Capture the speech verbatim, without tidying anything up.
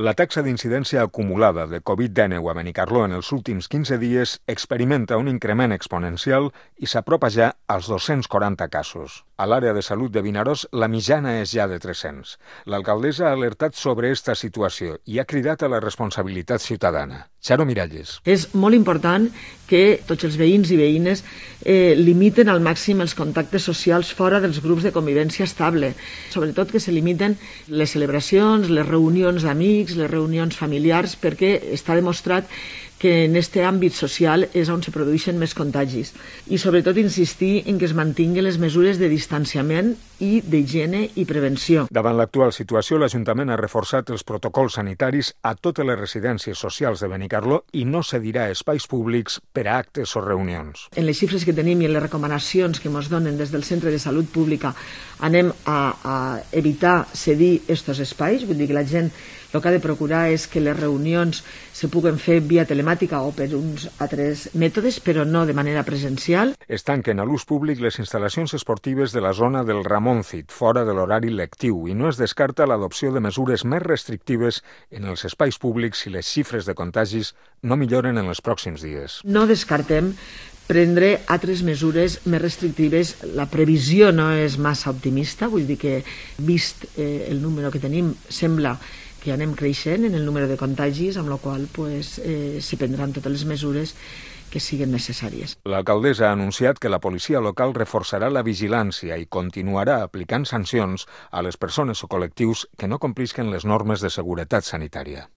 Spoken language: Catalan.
La taxa d'incidència acumulada de covid dinou a Benicarló en els últims quinze dies experimenta un increment exponencial i s'apropa ja als dos-cents quaranta casos. A l'àrea de salut de Vinaròs, la mitjana és ja de tres-cents. L'alcaldessa ha alertat sobre aquesta situació i ha cridat a la responsabilitat ciutadana. Charo Miralles. És molt important que tots els veïns i veïnes eh, limiten al màxim els contactes socials fora dels grups de convivència estable. Sobretot que se limiten les celebracions, les reunions d'amics, les reunions familiars, perquè està demostrat que en aquest àmbit social és on se produeixen més contagis. I sobretot insistir en que es mantinguin les mesures de distanciament i d'higiene i prevenció. Davant l'actual situació, l'Ajuntament ha reforçat els protocols sanitaris a totes les residències socials de Benicarló i no cedirà espais públics per a actes o reunions. En les xifres que tenim i en les recomanacions que ens donen des del Centre de Salut Pública anem a, a evitar cedir aquests espais, vull dir que la gent el que ha de procurar és que les reunions se puguen fer via telemàtica o per uns altres mètodes, però no de manera presencial. Es tanquen a l'ús públic les instal·lacions esportives de la zona del Ramoncit, fora de l'horari lectiu, i no es descarta l'adopció de mesures més restrictives en els espais públics si les xifres de contagis no milloren en els pròxims dies. No descartem prendre altres mesures més restrictives. La previsió no és massa optimista, vull dir que, vist eh, el número que tenim, sembla que anem creixent en el número de contagis, amb la qual pues, eh, s'hi prendran totes les mesures que siguin necessàries. L'alcaldessa ha anunciat que la policia local reforçarà la vigilància i continuarà aplicant sancions a les persones o col·lectius que no complisquen les normes de seguretat sanitària.